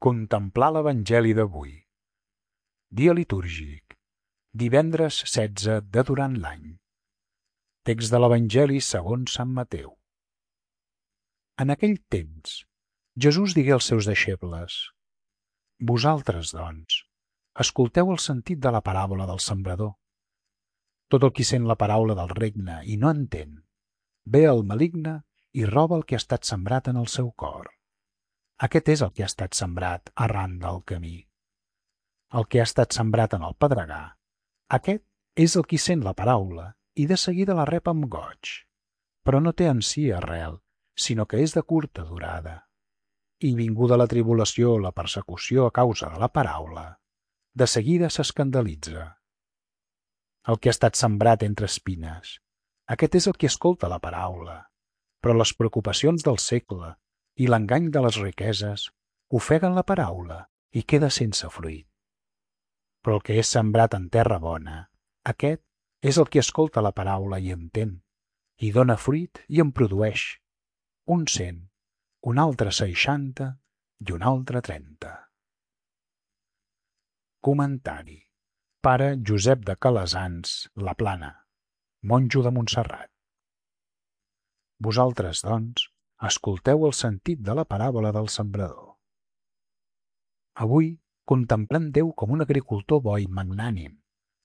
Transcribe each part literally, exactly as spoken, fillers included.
Contemplar l'Evangeli d'avui. Dia litúrgic. Divendres setze de durant l'any. Text de l'Evangeli segons Sant Mateu. En aquell temps, Jesús digué als seus deixebles: Vosaltres, doncs, escolteu el sentit de la paràbola del sembrador. Tot el qui sent la paraula del regne i no entén, ve el maligne i roba el que ha estat sembrat en el seu cor. Aquest és el que ha estat sembrat arran del camí. El que ha estat sembrat en el pedregar, aquest és el qui sent la paraula i de seguida la rep amb goig, però no té en si arrel, sinó que és de curta durada. I vinguda la tribulació o la persecució a causa de la paraula, de seguida s'escandalitza. El que ha estat sembrat entre espines, aquest és el que escolta la paraula, però les preocupacions del segle i l'engany de les riqueses ofeguen la paraula i queda sense fruit. Però el que és sembrat en terra bona, aquest és el que escolta la paraula i entén, i dona fruit i en produeix, un cent, un altre seixanta i un altre trenta. Comentari. Pare Josep de Calasans, La Plana, monjo de Montserrat. Vosaltres, doncs, escolteu el sentit de la paràbola del sembrador. Avui contemplem Déu com un agricultor bo i magnànim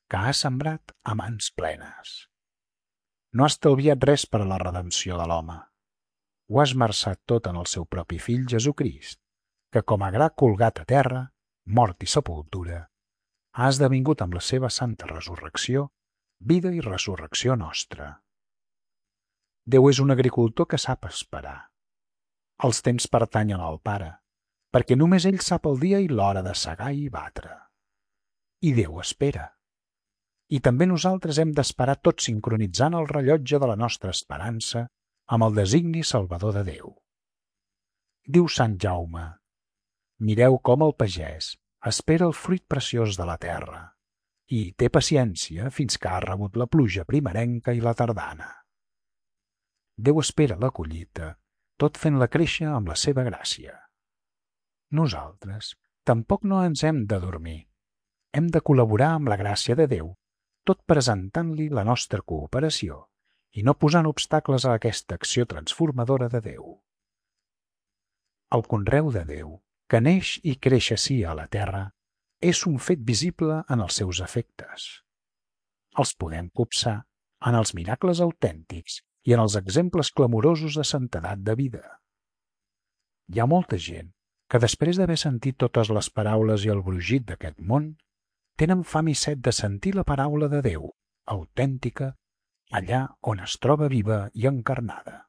que ha sembrat a mans plenes. No ha estalviat res per a la redempció de l'home. Ho ha esmerçat tot en el seu propi fill Jesucrist, que com a gra colgat a terra, mort i sepultura, ha esdevingut amb la seva santa resurrecció, vida i resurrecció nostra. Déu és un agricultor que sap esperar. Els temps pertanyen al Pare, perquè només ell sap el dia i l'hora de segar i batre. I Déu espera. I també nosaltres hem d'esperar tot sincronitzant el rellotge de la nostra esperança amb el designi salvador de Déu. Diu Sant Jaume: mireu com el pagès espera el fruit preciós de la terra i té paciència fins que ha rebut la pluja primerenca i la tardana. Déu espera la collita, tot fent-la créixer amb la seva gràcia. Nosaltres tampoc no ens hem de dormir. Hem de col·laborar amb la gràcia de Déu, tot presentant-li la nostra cooperació i no posant obstacles a aquesta acció transformadora de Déu. El conreu de Déu, que neix i creix ací a la terra, és un fet visible en els seus efectes. Els podem copsar en els miracles autèntics i en els exemples clamorosos de santedat de vida. Hi ha molta gent que després d'haver sentit totes les paraules i el brugit d'aquest món, tenen fam i set de sentir la paraula de Déu, autèntica, allà on es troba viva i encarnada.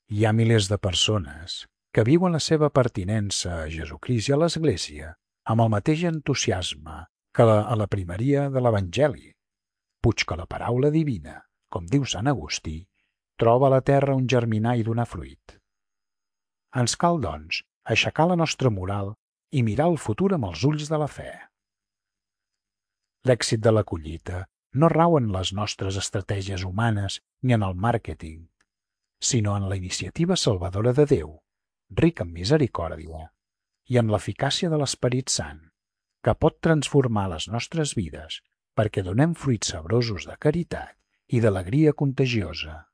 Hi ha milers de persones que viuen la seva pertinença a Jesucrist i a l'Església amb el mateix entusiasme que a la primeria de l'Evangeli, puig que la paraula divina, com diu Sant Agustí, troba a la terra un germinar i donar fruit. Ens cal, doncs, aixecar la nostra moral i mirar el futur amb els ulls de la fe. L'èxit de la collita no rau en les nostres estratègies humanes ni en el màrqueting, sinó en la iniciativa salvadora de Déu, ric en misericòrdia, i en l'eficàcia de l'Esperit Sant, que pot transformar les nostres vides perquè donem fruits sabrosos de caritat i d'alegria contagiosa.